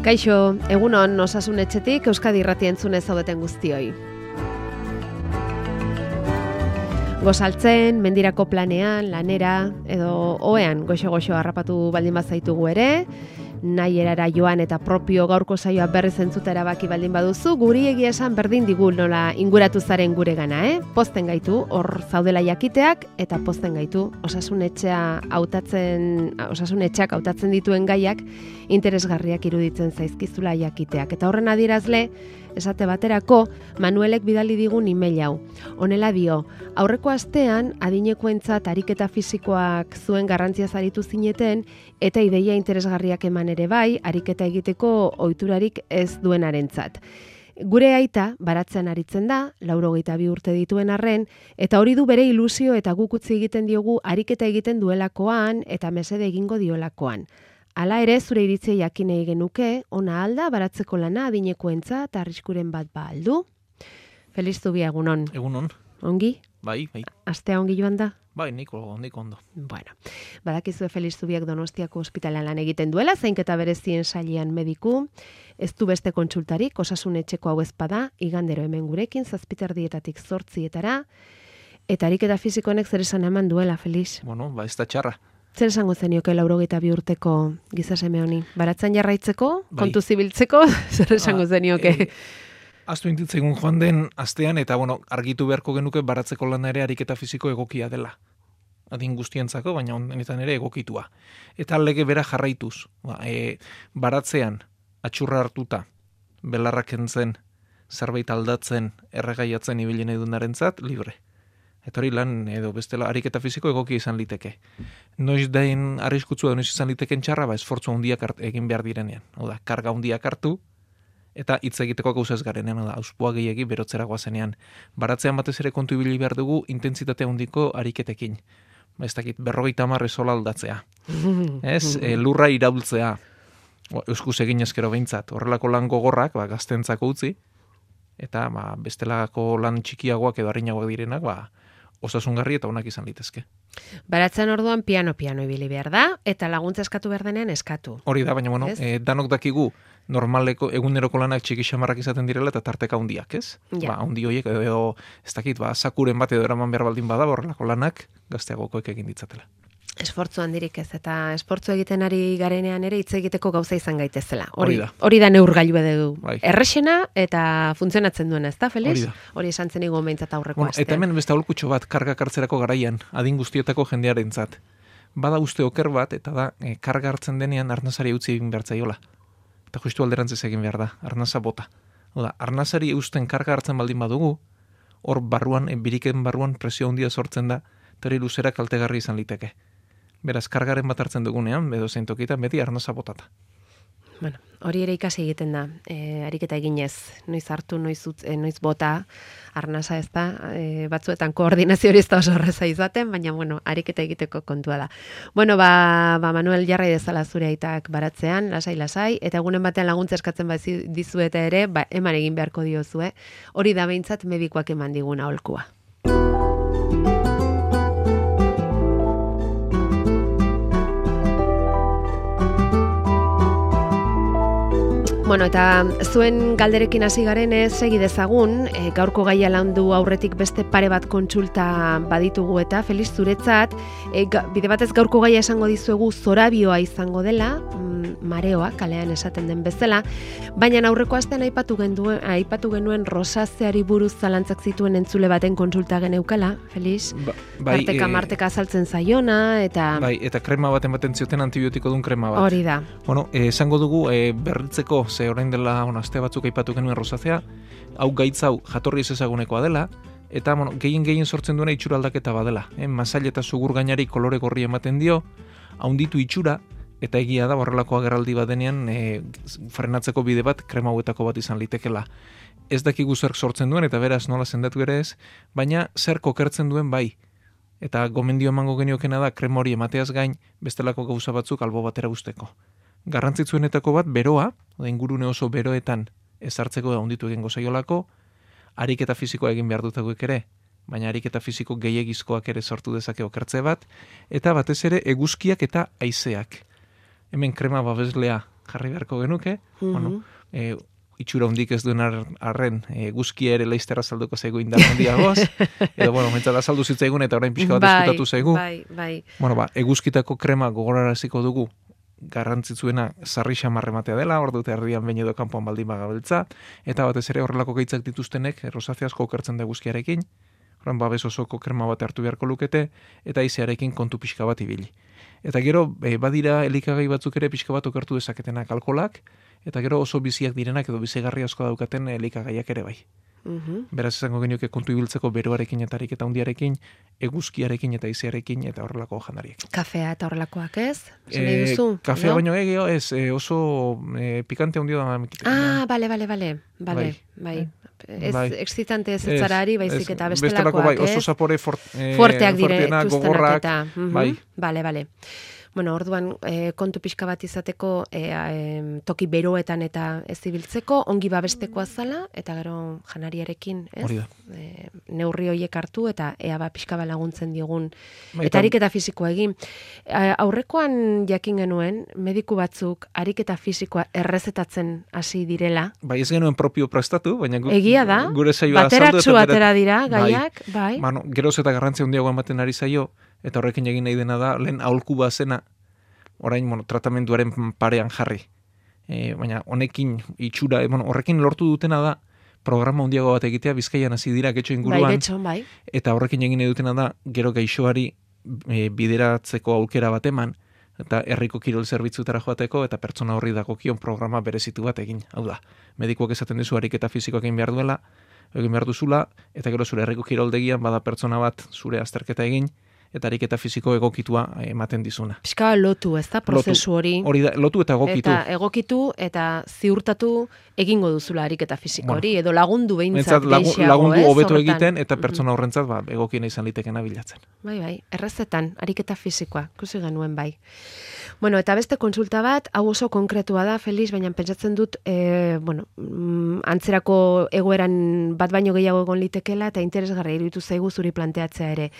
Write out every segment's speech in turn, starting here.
Kaixo, egunon Osasun Etxetik Euskadi Irratia entzunez zaudeten guztioi. Gozaltzen, mendirako planean, lanera, edo ohean goxo-goxo harrapatu baldin bazaitugu ere, nahi erara joan eta propio gaurko saioa berriz entzuta erabaki baldin baduzu, guri egia esan berdin digu nola inguratu zaren gure gana, Pozten gaitu hor zaudela jakiteak eta pozten gaitu Osasun Etxeak hautatzen dituen gaiak interesgarriak iruditzen zaizkizula jakiteak. Eta horren adierazle, esate baterako, Manuelek bidali digun email hau. Honela dio, aurreko astean adinekoentzat ariketa fisikoak zuen garrantziaz aritu zineten eta ideia interesgarriak eman ere bai, ariketa egiteko ohiturarik ez duenarentzat. Gure aita baratzen aritzen da, 82 urte dituen arren, eta hori du bere ilusio eta guk utzi egiten diogu ariketa egiten duelakoan eta mesede egingo diolakoan. Hala ere, zure iritzia jakin nahi genuke, ona alda, baratzeko lana adinekoentzat eta arriskuren bat aldu. Feliz Zubia, egunon. Egunon. Ongi? Bai. Astea ongi joan da? Bai, niko ondo. Bueno, badakizue Feliz Zubiak Donostiako ospitalean lan egiten duela, zainketa berezien sailean mediku, ez du beste kontsultarik, Osasun Etxeko hau ezpada, igandero hemen gurekin, 7:00 8:00, eta ariketa fisikonek zer esan eman duela, Feliz. Bueno, ez da txarra. Zer esango zenioke 82 urteko gizaseme honi? Baratzen jarraitzeko, kontu zibiltzeko, zer esango zenioke? Aztu intitzaigun joan den astean, eta argitu beharko genuke baratzeko lana ere ariketa fisiko egokia dela. Adin guztientzako, baina honetan ere egokitua. Eta lege bera jarraituz. Baratzean, atxurra hartuta, belarrak entzen, zerbait aldatzen, erregaiatzen ibilen edunarentzat, libre. Eta hori lan, edo bestela, ariketa fisiko egokia izan liteke. Noiz dain arriskutzua da noiz izan liteken txarra, esfortzu handiak egin behar direnean. Oda, karga handiak hartu, eta hitz egiteko gauza ez garenean, auspua gehiegi berotzera goazenean. Baratzean batez ere kontu ibili behar dugu intentsitate handiko ariketekin. Ez dakit, 50 esola aldatzea. Lurra iraultzea. Euskuz egin ezkero behintzat. Horrelako lan gogorrak, gaztentzako utzi, eta bestelako lan txikiagoak edo harinagoak direnak, osasungarri eta onak izan litezke. Baratzen orduan piano ibili behar da, eta laguntza eskatu behar denean eskatu. Hori da, baina danok dakigu normaleko eguneroko lanak txiki xamarrak izaten direla eta tarteka handiak, ez? Ja. Handi horiek edo, ez dakit, sakuren bat edo eraman behar baldin bada, horrelako lanak gazteagokoek egin ditzatela. Esfortzu handirik ez, eta esfortzu egiten ari garenean ere hitz egiteko gauza izan gaitezela. Hori da neurgailu edo bai. Errexena eta funtzionatzen duena, ez da, Feliz? Hori da. Hori esan zen igo behintzat aurreko astean. Eta hemen beste aholkutxo bat karga hartzerako garaian, adin guztietako jendearentzat. Bada uste oker bat, eta da, karga hartzen denean arnazari utzi egin behar zaiola. Eta justu alderantzez egin behar da, arnaza bota. Oda, arnazari eusten karga hartzen baldin badugu, hor barruan, biriken barruan presio handia sortzen da, eta hori luzera kaltegarri izan liteke. Beraz, kargaren bat hartzen dugunean, edo zein tokitan, beti arnaza botata. Bueno, hori ere ikasi egiten da, ariketa eginez, noiz hartu, noiz bota, arnasa ez da, batzuetan koordinazio hori ez da oso horreza izaten, baina, ariketa egiteko kontua da. Manuel jarrai dezala zure aitak baratzean, lasai, eta egunen batean laguntza eskatzen dizueta ere, eman egin beharko diozue, hori da behintzat medikoak eman diguna aholkua. Eta zuen galderekin hasi garenez segi dezagun, gaurko gaia landu aurretik beste pare bat kontsulta baditugu eta Feliz zuretzat, bide batez gaurko gaia esango dizuegu zorabioa izango dela, mareoa, kalean esaten den bezala, baina aurreko astean aipatu genuen rosazeari buruz zalantzak zituen entzule baten kontsulta geneukala, Feliz? Marteka azaltzen zaiona, eta... Bai, eta krema baten baten zioten antibiotiko duen krema bat. Hori da. Esango dugu, berritzeko, orain dela aste batzuk aipatu genuen rosazea, hau gaitz hau jatorri ez ezagunekoa dela, eta gehien sortzen duena itxura aldaketa badela. Masail eta sugur gainari kolore gorri ematen dio, haunditu itxura, eta egia da horrelako agerraldi badenean frenatzeko bide bat krema hauetako bat izan litekela. Ez dakigu zer sortzen duen, eta beraz nola sendatu ere ez, baina zer kokertzen duen bai. Eta gomendio emango geniokena da krema hori emateaz gain bestelako gauza batzuk albo batera usteko. Garrantzitsuenetako bat beroa, ingurune oso beroetan ezartzeko da handitu egingo zaiolako, ariketa fisikoa egin behar dutakoek ere, baina ariketa fisiko gehiegizkoak ere sortu dezake okertze bat, eta batez ere eguzkiak eta haizeak. Hemen krema babeslea jarri beharko genuke, bueno, itxura hondik ez duen arren eguzkia ere laizterra salduko zaigu indar handiagoz, edo, bueno, mentzat azaldu zitzaigun eta orain pixka bat eskutatu zaigu. Bai. Bueno, eguzkitako krema gogoraraziko dugu, garrantzitsuena sarri xamarre matea dela, ordu eta erdian behin edo kanpoan baldin bagabiltza, eta batez ere horrelako gaitzak dituztenek rosazea asko okertzen da eguzkiarekin, horren babes osoko krema bat hartu beharko lukete, eta izearekin kontu pixka bat ibili. Eta gero, badira elikagai batzuk ere pixka bat okertu dezaketenak alkolak, eta gero oso biziak direnak edo bizigarri asko daukaten elikagaiak ere bai. Beraz izango genioke kontu ibiltzeko beroarekin eta ariketa hundiarekin, eguzkiarekin eta izearekin eta horrelako jandariekin. Kafea eta horrelakoak ez? Kafea no? Baino egeo ez, oso pikante hundio da. Bale. Ez excitante ez zara baizik eta bestelakoak, bai, oso zapore forteak dire, gogorrak, bai. Bale. Bueno, orduan kontu pixka bat izateko toki beroetan eta ez ibiltzeko, ongi babestekoa zala, eta gero janariarekin, ez? Hori da. Neurri horiek hartu eta ea pixka bat laguntzen digun. Eta ariketa fisikoa egin. Aurrekoan jakin genuen, mediku batzuk ariketa fisikoa errezetatzen hasi direla. Bai, ez genuen propio prestatu, baina egia da, gure saioa bateratxu atera dira, gaiak, bai. Bueno, geroz eta garrantzia handiago ematen ari zaio, eta horrekin egin nahi dena da, lehen aholku bazena, orain, tratamenduaren parean jarri. Baina honekin itxura, horrekin lortu dutena da, programa handiago bat egitea, Bizkaian hasi dira getxo inguruan. Bai. Eta horrekin egin nahi dutena da, gero gaixoari bideratzeko aukera bat eman, eta herriko kirol zerbitzutara joateko, eta pertsona horri dagokion programa berezitu bat egin. Hau da, medikuak esaten dizu ariketa fisikoak egin behar duzula, eta gero zure herriko kiroldegian bada pertsona bat zure azterketa egin, eta ariketa fisiko egokitua ematen dizuna. Piska lotu, ez da, prozesu hori. Hori da, lotu eta egokitu. Eta egokitu eta ziurtatu egingo duzula ariketa fisiko hori, edo lagundu behintzat geixiago, lagundu hobeto egiten, eta pertsona horrentzat egokiena izan litekena bilatzen. Bai, errezetan, ariketa fisikoa, ikusi genuen bai. Bueno, eta beste konsulta bat, hau oso konkretua da, Felix, baina pentsatzen dut, antzerako egoeran bat baino gehiago egon litekela, eta interesgarria iruditu zaigu zuri planteatzea ere.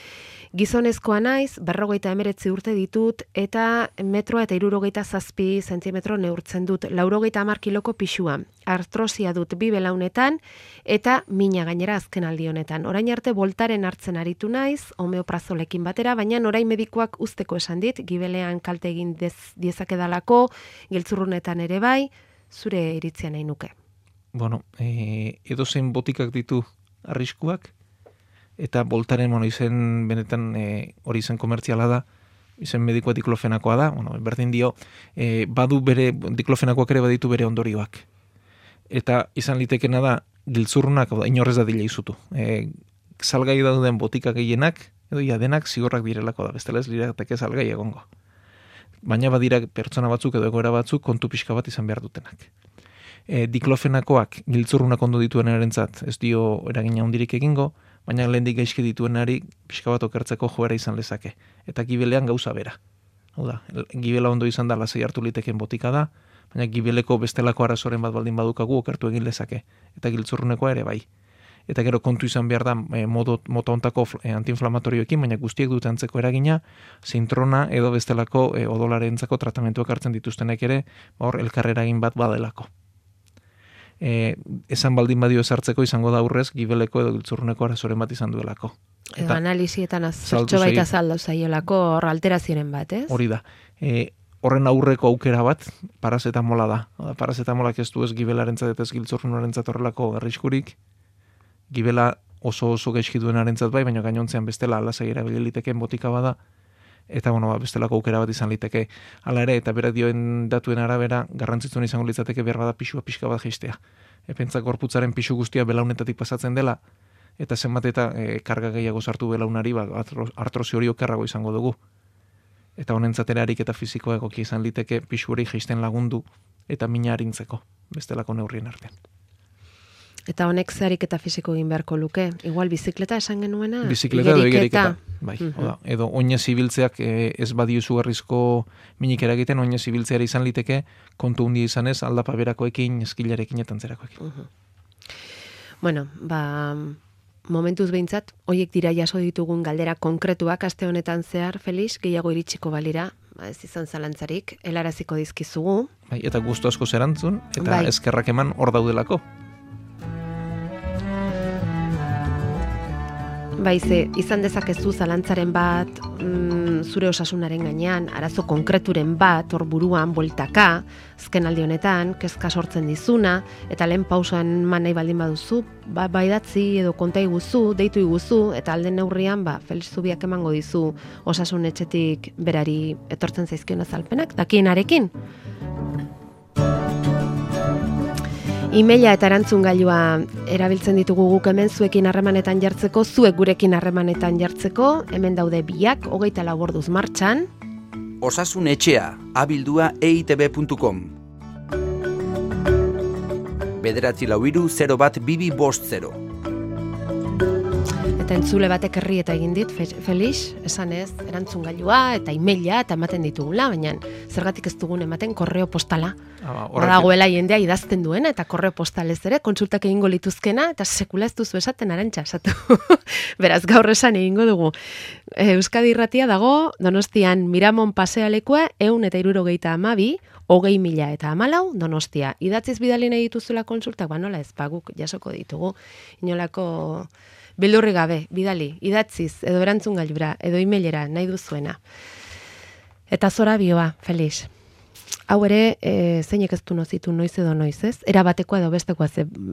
Gizonezkoa naiz, 59 urte ditut, eta 1,67 zentimetro neurtzen dut, 90 kiloko pixua. Artrosia dut 2 belaunetan, eta mina gainera azken aldi honetan. Orain arte boltaren hartzen aritu naiz, homeoprazolekin batera, baina orain medikuak usteko esan dit, gibelean kalte egin diezakedalako, giltzurrunetan ere bai, zure iritzia nahi nuke. Bueno, edozein botikak ditu arriskuak, eta boltaren, izen benetan hori izen komertziala da, izen medikoa diklofenakoa da, berdin dio, badu bere, diklofenakoak ere baditu bere ondorioak. Eta izan litekena da, giltzurrunak, inorrez da dila izutu. Salgai dauden botika gehienak, edo denak zigorrak direlako da, bestela ez lirateke salgai egongo. Baina badira pertsona batzuk edo egoera batzuk kontu pixka bat izan behar dutenak. Diklofenakoak giltzurrunak ondo dituen erentzat, ez dio eragina handirik egingo, baina lehendik gaizki dituenari pixka bat okertzeko joera izan lezake. Eta gibelean gauza bera. Hau da, gibela ondo izan da lasai hartu liteken botika da, baina gibeleko bestelako arazoren bat baldin badukagu okertu egin lezake. Eta giltzurrunekoa ere bai. Eta gero kontu izan behar da mota ontako antiinflamatorioekin, baina guztiek dute antzeko eragina, zintrona edo bestelako odolarentzako tratamentuak hartzen dituztenek ere, hor elkarrera egin bat badelako. Esan baldin badio ezartzeko izango da aurrez gibeleko edo giltzurruneko arazoren bat izan duelako. Edo analizietan zertxo baita saldo zaiolako hor alterazioen bat, ez? Hori da. Horren aurreko aukera bat parazetamola da. Parazetamolak ez du ez gibelarentzat eta ez giltzurrunarentzat horrelako arriskurik. Gibela oso gaizki duenarentzat bai, baina gainontzean bestela lasai erabili liteken botika bada. Eta bestelako aukera bat izan liteke. Hala ere, eta berak dioen datuen arabera, garrantzitsuen izango litzateke behar bada pixka bat jaistea. Pentsat gorputzaren pixu guztia belaunetatik pasatzen dela, eta zenbat eta karga gehiago sartu belaunari, artrosi hori okerrago izango dugu. Eta honentzatera ariketa fisikoa egoki izan liteke pixu hori jaisten lagundu, eta mina harintzeko, bestelako neurrien artean. Eta honek zeharik eta fisiko egin beharko luke? Igual bizikleta esan genuena? Bizikleta edo igeriketa. Bai, edo oinez ibiltzeak ez badio izugarrizko minik eragiten, oinez ibiltzeara izan liteke, kontu hundi izanez, aldapa berakoekin, eskilarekin eta antzerakoekin. Bueno, momentuz behintzat, horiek dira jaso ditugun galdera konkretuak aste honetan zehar, Felix, gehiago iritsiko balira, ez izan zalantzarik, helaraziko dizkizugu. Bai, eta gustu asko zerantzun, eta Bai. eskerrak eman hor daudelako. Bai, ze, izan dezakezu zalantzaren bat, zure osasunaren gainean, arazo konkreturen bat, hor buruan, bueltaka, azken aldi honetan, kezka sortzen dizuna, eta lehen pausoan man nahi baldin baduzu, bai datzi edo konta iguzu, deitu iguzu, eta alden neurrian, Felix Zubiak emango dizu osasun etxetik berari etortzen zaizkion azalpenak, dakienarekin. E-maila eta erantzungailua erabiltzen ditugu guk hemen zuekin harremanetan jartzeko, zuek gurekin harremanetan jartzeko, hemen daude biak, 24 orduz martxan. Osasun etxea, abildua eitb.com. 944-01250. Eta entzule batek herri eta egin dit, Felix, esan ez, erantzungailua eta e-maila eta ematen ditugula, baina zergatik ez dugun ematen korreo postala. Dagoela jendea idazten duena eta korreo postalez ere, konsultak egingo lituzkena, eta sekula ez duzu esaten Arantxa, esatu. Beraz, gaur esan egingo dugu. Euskadi Irratia dago, Donostian Miramon pasealekua 172 20.014 Donostia. Idatziz bidali nahi dituzula konsultak, nola ez, guk jasoko ditugu. Inolako beldurri gabe, bidali, idatziz, edo erantzungailura, edo e-mailera, nahi duzuena. Eta zorabioa, Felix. Hau ere, zeinek ez du nozitu noiz edo noiz, ez? Erabatekoa edo bestekoa,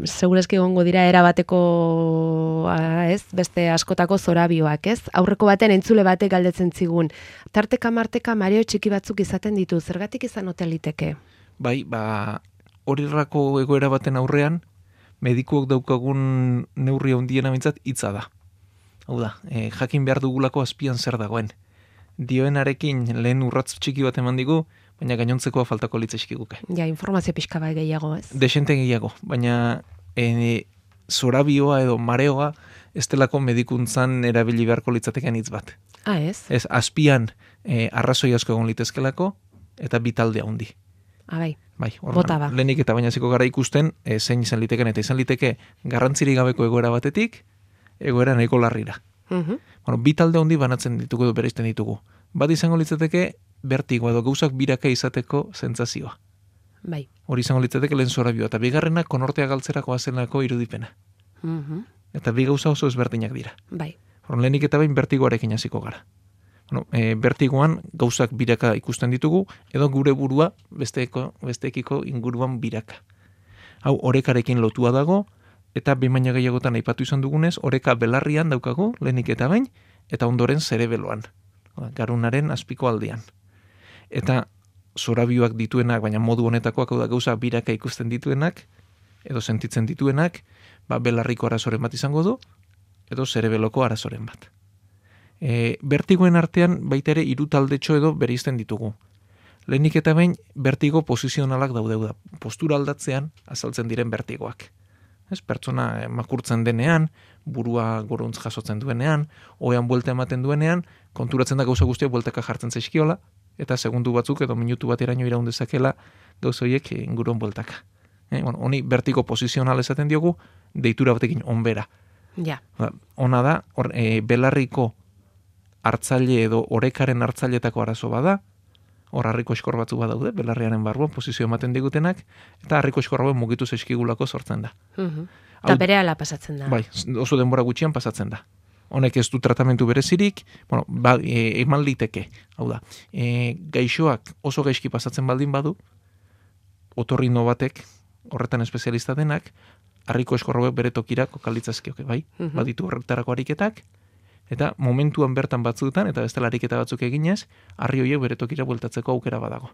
segureski egongo dira erabatekoa, ez? Beste askotako zorabioak, ez? Aurreko baten entzule batek galdetzen zigun. Tarteka marteka mareo txiki batzuk izaten ditu, zergatik izan ote liteke? Bai, horirako egoera baten aurrean, medikuok daukagun neurri handiena mintzat hitza da. Hau da, jakin behar dugulako azpian zer dagoen. Dioenarekin lehen urratz txiki bat eman digu, baina gainontzekoa faltako litzeskiguke. Ja, informazio pixka bat gehiago, ez? Desente gehiago, baina zorabioa edo mareoa ez delako medikuntzan erabili beharko litzateken hitz bat. Ez? Ez, azpian arrazoi asko egon litezkelako eta bitalde handi. Bai. Bai, bota ba. Lehenik eta baina ziko gara ikusten, zein izan liteken, eta izan liteke garrantzirik gabeko egoera batetik, egoera nahiko larrira. Bueno, bi talde handi banatzen ditugu edo bereizten ditugu. Bat izango litzateke bertigo edo gauzak biraka izateko sentsazioa. Bai. Hori izango litzateke lehen zorabioa, eta bigarrena konortea galtzerako azenako irudipena. Eta bi gauza oso ezberdinak dira. Bai. Lehenik eta bain bertigoarekin hasiko gara. Bueno, bertigoan gauzak biraka ikusten ditugu, edo gure burua besteekiko inguruan biraka. Hau, orekarekin lotua dago, eta behin baina gehiagotan aipatu izan dugunez, oreka belarrian daukagu, lehenik eta bain, eta ondoren zerebeloan, garunaren azpiko aldean. Eta zorabioak dituenak, baina modu honetakoak da gauza biraka ikusten dituenak, edo sentitzen dituenak, belarriko arazoren bat izango du, edo zerebeloko arazoren bat. Bertigoen artean baita ere hiru taldetxo edo bereizten ditugu. Lehenik eta behin bertigo posizionalak daude da. Postura aldatzean azaltzen diren bertigoak. Ez, pertsona makurtzen denean, burua goruntz jasotzen duenean, ohean buelta ematen duenean, konturatzen da gauza guztia bueltaka jartzen zaizkiola, eta segundu batzuk edo minutu bateraino iraun dezakela gauza horiek inguruan bueltaka. Honi bertigo posizional esaten diogu, deitura batekin onbera. Ja. Ona da, belarriko hartzaile edo orekaren hartzailetako arazo bada, hor harriko eskor batzu badaude, belarriaren barruan posizio ematen digutenak, eta harriko eskor hauen mugitu zaizkigulako sortzen da. Eta berehala pasatzen da. Bai, oso denbora gutxian pasatzen da. Honek ez du tratamentu berezirik, eman liteke, hau da, gaixoak oso gaizki pasatzen baldin badu, otorrino batek, horretan espezialista denak, harriko eskor hauek bere tokira kokalitzazkioke, bai? Baditu horretarako ariketak, eta momentuan bertan batzuetan, eta bestela ariketa batzuk eginez, harri horiek bere tokira bueltatzeko aukera badago.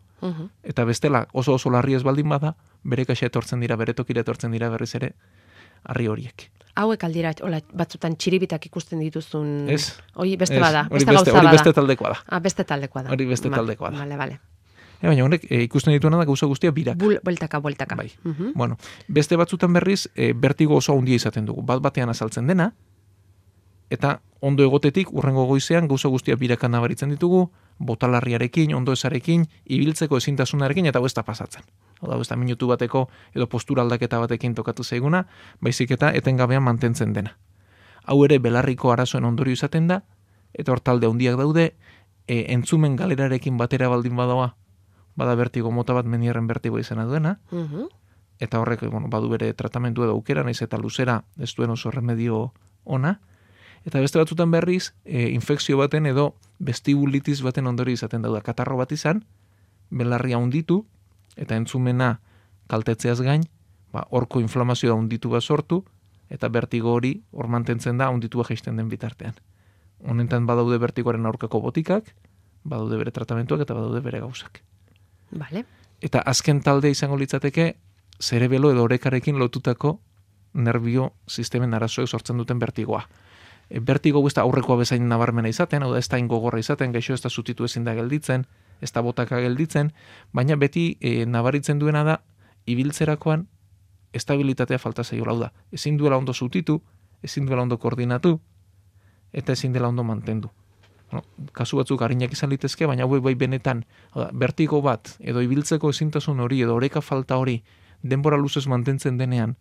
Eta bestela oso larri ez baldin bada, bere kaxa etortzen dira, bere tokira etortzen dira berriz ere, harri horiek. Hauek aldira, batzutan txiribitak ikusten dituzun... Ez. Hori beste bada, beste gauza bada. Hori beste taldekoa da. Beste taldekoa da. Hori beste taldekoa da. Vale. Baina honek ikusten dituena da gauza guztia birak. Bueltaka. Bai. Bueno, beste batzutan berriz, bertigo oso handia izaten dugu. Bat-batean azaltzen dena, eta ondo egotetik, urrengo goizean, gauza guztia biraka nabaritzen ditugu, botalarriarekin, ondo ezarekin, ibiltzeko ezintasunarekin, eta ez da pasatzen. Hau ez da minutu bateko, edo postura aldaketa batekin tokatu zaiguna, baizik eta etengabean mantentzen dena. Hau ere, belarriko arazoen ondorio izaten da, eta hor talde handiak daude, entzumen galerarekin batera baldin badaua, bada bertigo mota bat menierren bertigo izena duena, eta horrek badu bere tratamendu edo aukera, naiz eta luzera ez duen oso remedio ona, eta beste batzutan berriz, infekzio baten edo vestibulitis baten ondori izaten dauda, katarro bat izan, belarria hunditu, eta entzumena kaltetzeaz gain, horko inflamazioa hunditu bat sortu, eta bertigo hori hor mantentzen da hunditua jaisten den bitartean. Honetan badaude bertigoaren aurkako botikak, badaude bere tratamentuak eta badaude bere gauzak. Vale. Eta azken talde izango litzateke, zerebelo edo orekarekin lotutako nerbio sistemen arazoek sortzen duten bertigoa. Bertigo ez da aurrekoa bezain nabarmena izaten, hau da ez da ingogorra izaten, gaixo ez da zutitu ezin da gelditzen, ez da botaka gelditzen, baina beti nabaritzen duena da, ibiltzerakoan estabilitatea falta zaiola, hau da. Ezin duela ondo zutitu, ezin duela ondo koordinatu, eta ezin dela ondo mantendu. Kasu batzuk arinak izan litezke, baina bai benetan, bertigo bat, edo ibiltzeko ezintasun hori, edo oreka falta hori, denbora luzez mantentzen denean,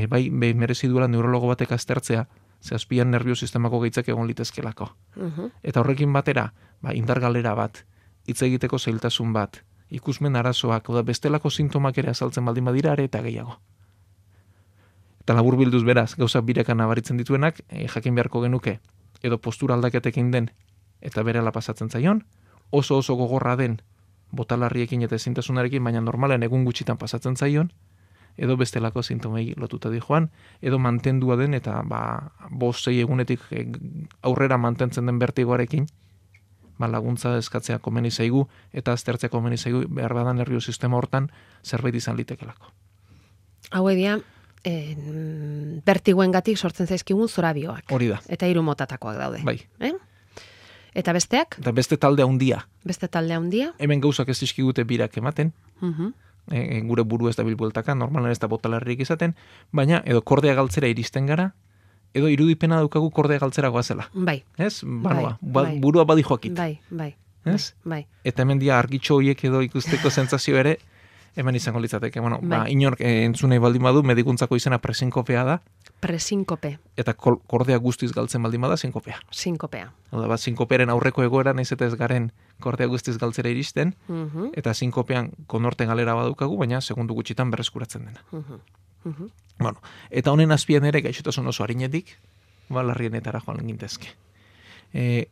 bai merezi duela neurologo batek aztertzea, ze azpian nervio sistemako gaitzak egon litezkelako. Eta horrekin batera, indar galera bat, hitz egiteko zailtasun bat, ikusmen arazoak, oda bestelako sintomak ere azaltzen baldin badira are eta gehiago. Eta labur bilduz beraz, gauza birekan nabaritzen dituenak, jakin beharko genuke, edo postura aldaketekin den, eta berela pasatzen zaion, oso gogorra den, botalarriekin eta ezintasunarekin, baina normalen egun gutxitan pasatzen zaion, edo bestelako sintomei lotuta di joan, edo mantendua den, eta 5-6 egunetik aurrera mantentzen den bertigoarekin, laguntza eskatzea komeni zaigu, eta aztertzea komeni zaigu, behar badan nervio sistema hortan zerbait izan litekelako. Hau edia, bertigoengatik sortzen zaizkigun zorabioak. Hori da. Eta 3 motatakoak daude. Bai. Eta besteak? Eta beste talde handia. Beste talde handia? Hemen gauzak ez dizkigute birak ematen. Gure buru ez da bilbueltaka, normalan ez da botalarrik izaten, baina edo kordea galtzera iristen gara, edo irudipena daukagu kordea galtzera goazela. Bai. Ez? Burua badi joakit. Bai. Ez? Bai. Eta hemen dia argitxo horiek edo ikusteko sentsazio ere, hemen izango litzateke. Inork entzunei baldin badu, medikuntzako izena presinkopea da. Presinkope. Eta kordea guztiz galtzen baldin bada, sinkopea. Sinkopea. Oda, sinkopearen aurreko egoera naiz eta ez garen kordea guztiz galtzera iristen, eta sinkopean konorte galera badukagu, baina segundu gutxitan berreskuratzen dena. Eta honen azpian ere gaixotasun oso harinetik, larrienetara joan gintezke.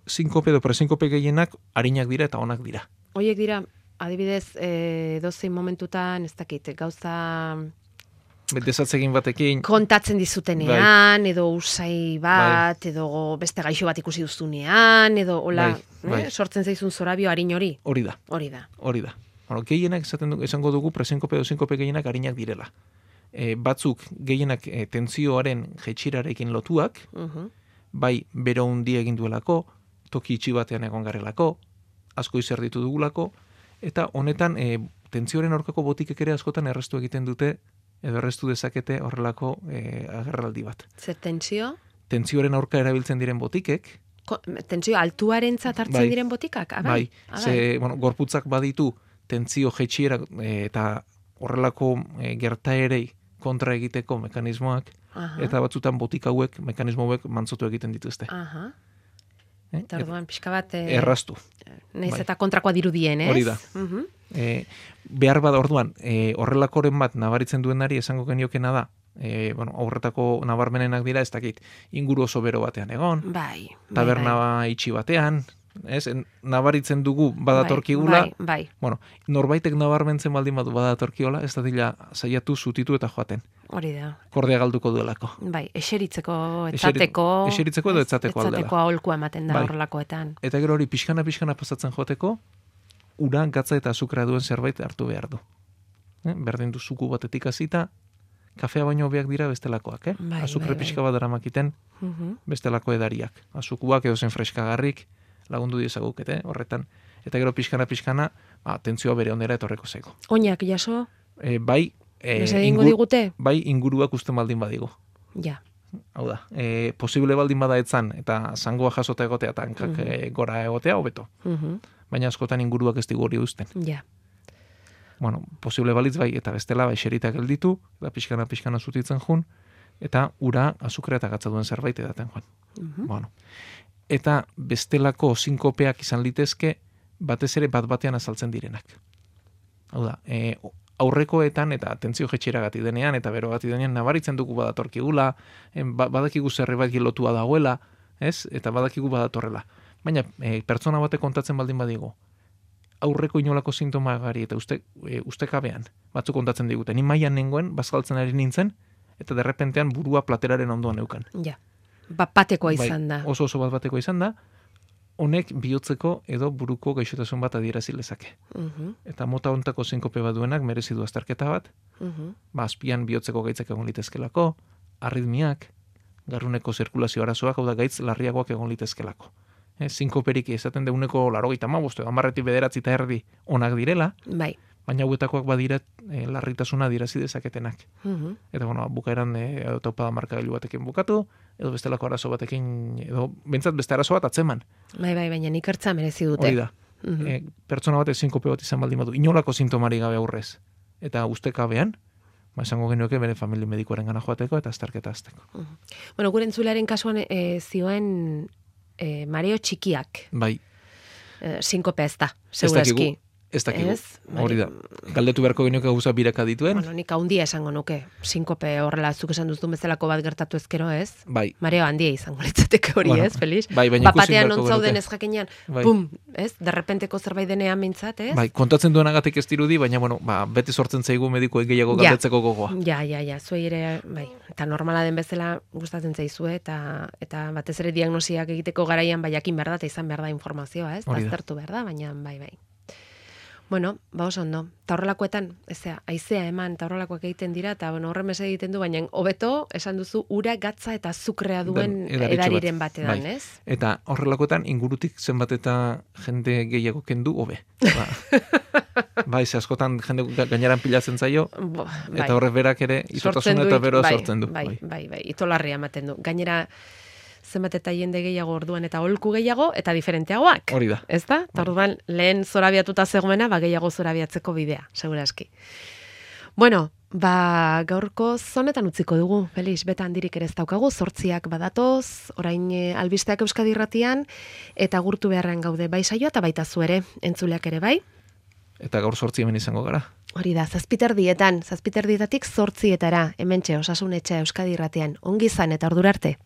Sinkope edo presinkope gehienak harinak dira eta onak dira. Hoiek dira, adibidez, dozein momentutan, ez dakit, gauza desatzegin batekin kontatzen dizutenean, edo usai bat, edo beste gaixo bat ikusi duzunean, edo hola, sortzen zaizun zorabio harin hori. Hori da. Gehienak esango dugu presinkope edo sinkope gehienak harinak direla. Batzuk gehienak tentsioaren jetxirarekin lotuak, bai bero hundi egin duelako, toki itxi batean egon garelako, asko izerditu dugulako, eta honetan tentsioaren aurkako botikek ere askotan errestu egiten dute, edo errestu dezakete horrelako agerraldi bat. Zer tentsio? Tentsioaren aurka erabiltzen diren botikek. Tentsio altuarentzat hartzen diren botikak? Bai. Gorputzak baditu tentsio jetxiera eta horrelako gertaerei kontra egiteko mekanismoak, eta batzutan botika hauek, mekanismo hauek mantzotu egiten dituzte. Eta orduan, pixka bat erraztu. Naiz eta kontrakoa dirudien, ez? Hori da. Behar bada orduan, horrelakoren bat nabaritzen duenari esango geniokena da, aurretako nabarmenenak dira, ez dakit, inguru oso bero batean egon, taberna itxi batean, ez? Nabaritzen dugu badatorkigula, norbaitek nabarmentzen baldin badu badatorkiola, ez da dila saiatu zutitu eta joaten. Hori da. Kordea galduko duelako. Bai, eseritzeko, etzateko edo etzateko aldela. Etzateko aholkua ematen da horrelakoetan. Eta gero hori pixkana pasatzen joteko, ura, gatza eta azukra duen zerbait hartu behar du. Berdin du zuku batetik hasita, kafea baino hobeak dira bestelakoak, azukre pixka bat daramakiten bestelako edariak. Azukuak edo zen freskagarrik lagundu diezagukete horretan. Eta gero pixkana, tentzioa bere ondera etorreko zego. Oinak jaso? Bai, bai inguruak usten baldin badigu. Ja. Hau da, posible baldin bada etzan, eta zangoa jasota egotea, eta hankak gora egotea, hobeto. Baina askotan inguruak ez digu hori usten. Ja. Posible balitz bai, eta bestela bai xeritak gelditu, eta pixkana zutitzen jun, eta ura, azukrea eta gatza duen zerbait edaten joan. eta bestelako sinkopeak izan litezke batez ere bat-batean azaltzen direnak. Hau da, aurrekoetan eta atentzio jetxeragatik denean eta berogati denean nabaritzen dugu badatorkigula, badakigu zerbait lotua dagoela, ez? Eta badakigu badatorrela. Baina pertsona batek kontatzen baldin badigu, aurreko inolako sintomagari eta ustekabean batzuk kontatzen digute. Ni mailan nengoen, bazkaltzen ari nintzen, eta derrepentean burua plateraren ondoan neukan. Ja, bat-batekoa izan da. Oso bat-batekoa izan da, honek bihotzeko edo buruko gaixotasun bat adierazi lezake. Eta mota hontako sinkope bat duenak merezi du azterketa bat, azpian bihotzeko gaitzak egon litezkelako, arritmiak, garruneko zirkulazio arazoak, hau da gaitz larriagoak egon litezkelako. Sinkoperik esaten deuneko 95 edo 10-9 onak direla, bai. Baina hauetakoak badira larritasuna adierazi dezaketenak. Eta bukaeran taupada markagailu batekin bukatu, edo bestelako arazo batekin, edo bentsat beste arazo bat atzeman. Bai, baina ikertza merezi dute. Hori da. Pertsona bat sinkope bat izan baldin badu, inolako sintomari gabe aurrez. Eta ustekabean, esango genuke bere familia medikoaren gana joateko eta azterketa azteko. Bueno, gure entzularen kasuan zioen mareo txikiak. Bai. Sinkope ez da, segurazki. Ez dakigu, hori da. Galdetu beharko genuke gauza biraka dituen. Bueno, nik handia esango nuke. Sinkope horrela zuk esan duzun bezalako bat gertatu ezkero, ez? Bai. Mareo handia izango litzateke hori, ez, Felix? Bai, baina ikusi batean beharko zauden ez jakinean, pum, ez? Derrepenteko zerbait denean mintzat, ez? Bai, kontatzen duenagatik ez dirudi, baina, bueno, beti sortzen zaigu medikoek gehiago galdetzeko gogoa. Ja, zuei ere, bai. Eta normala den bezala gustatzen zaizue, eta batez ere diagnosiak egiteko garaian jakin behar da, eta izan behar da informazioa, ez? Aztertu behar da, baina, bai. Bueno, oso ondo. Ta horrelakoetan, haizea eman, ta horrelakoak egiten dira, eta horren mese egiten du, baina hobeto esan duzu ura, gatza eta azukrea duen edariren batean, ez? Eta horrelakoetan ingurutik zenbat eta jende gehiago kendu, hobe. Bai, askotan jende gaineran pilatzen zaio, eta horrek berak ere itotasuna eta beroa sortzen du. Bai, itolarria ematen du. Gainera, zenbat eta jende gehiago orduan eta holku gehiago eta diferenteagoak. Hori da. Ez da? Eta orduan lehen zorabiatuta zegoena, gehiago zorabiatzeko bidea, segurazki. Bueno, gaurko zonetan utziko dugu, Felix, beta handirik ere ez daukagu, 8 badatoz, orain albisteak Euskadi Irratian, eta gurtu beharrean gaude bai saioa eta baita zu ere, entzuleak ere bai. Eta gaur 8 hemen izango gara. Hori da, 7:00, 7:00 hementxe Osasun Etxea Euskadi Irratian, ongi izan eta ordura arte.